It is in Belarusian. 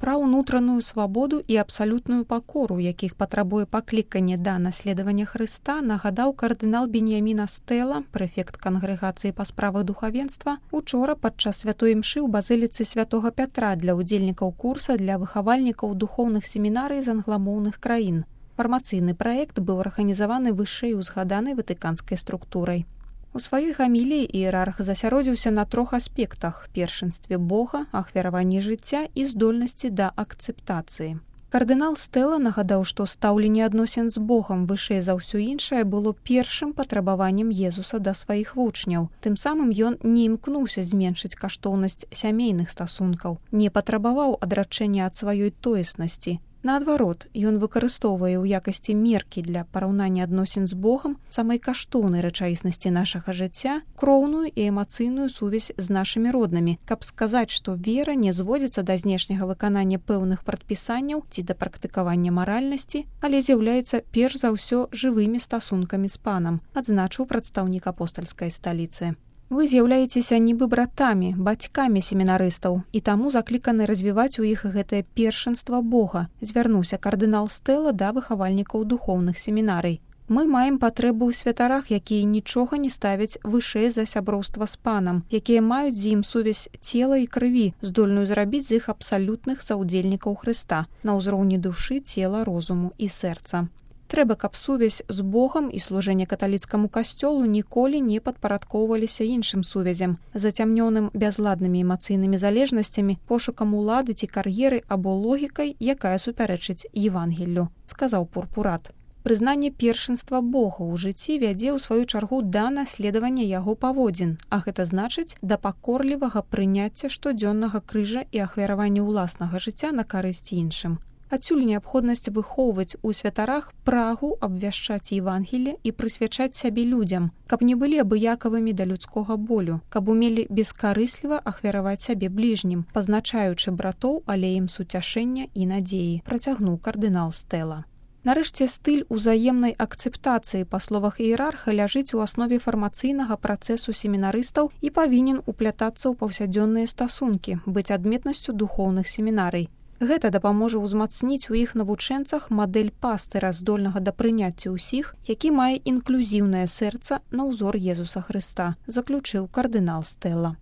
Пра ўнутраную свабоду і абсалютную пакору, якіх патрабуе пакліканне да наследавання Хрыста, нагадаў кардынал Беньямін Астэла, прэфект кангрэгацыі па справах духавенства, учора падчас святой імшы ў базыліцы святога Пятра для ўдзельнікаў курса для выхавальнікаў духоўных семінарый з англамоўных краін. Фармацыйны праект быў арганізаваны вышэй узгаданай ватыканскай структурай. У сваёй гаміліі іерарх засяродзіўся на 3 аспектах – першынстве Бога, ахвяраванні жыцця і здольнасці да акцэптацыі. Кардынал Стэла нагадаў, што стаўленне адносін з Богам вышэй за ўсё іншае было першым патрабаваннем Езуса да сваіх вучняў. Тым самым ён не імкнуўся зменшыць каштоўнасць сямейных стасункаў, не патрабаваў адрачэння ад сваёй тоеснасці. Наадварот, ён выкарыстоўвае ў якасці меркі для параўнання адносін з Богам самай каштоўнай рэчаіснасці нашага жыцця, кроўную і эмацыйную сувязь з нашымі роднымі, каб сказаць, што вера не зводзіцца да знешняга выканання пэўных прадпісанняў ці да практыкавання маральнасці, але з'яўляецца перш за ўсё жывымі стасункамі з Панам, адзначыў прадстаўнік апостальскай сталіцы. Вы з'яўляецеся нібы братамі, бацькамі семінарыстаў, і таму закліканы развіваць у іх гэтае першынства Бога, звярнуўся кардынал Стэла да выхавальнікаў духоўных семінарый. Мы маем патрэбу ў святарах, якія нічога не ставяць вышэй за сяброўства з Панам, якія маюць з ім сувязь цела і крыві, здольную зрабіць з іх абсалютных саўдзельнікаў Хрыста на ўзроўні душы, цела, розуму і сэрца. Трэба, каб сувязь з Богам і служэнне каталіцкаму касцёлу ніколі не падпарадкоўваліся іншым сувязям, зацямнёным бязладнымі эмацыйнымі залежнасцямі, пошукам улады ці кар'еры або логікай, якая супярэчыць Евангеллю, сказаў пурпурат. Прызнанне першынства Бога ў жыцці вядзе ў сваю чаргу да наследавання яго паводзін, а гэта значыць да пакорлівага прыняцця штодзённага крыжа і ахвяравання ўласнага жыцця на карысць іншым. Адсюль неабходнасць выхоўваць у святарах прагу абвяшчаць Евангелле і прысвячаць сябе людзям, каб не былі абыякавымі да людскога болю, каб умелі бескарысліва ахвяраваць сябе бліжнім, пазначаючы братоў алеем суцяшэння і надзеі, працягнуў кардынал Стэла. Нарэшце, стыль узаемнай акцэптацыі, па словах іерарха, ляжыць у аснове фармацыйнага працэсу семінарыстаў і павінен уплятацца ў паўсядзённыя стасункі, быць адметнасцю духоўных семінарый. Гэта дапаможа ўзмацніць у іх навучэнцах мадэль пастыра, здольнага да прыняцця ўсіх, які мае інклюзіўнае сэрца на ўзор Езуса Хрыста, заключыў кардынал Стэла.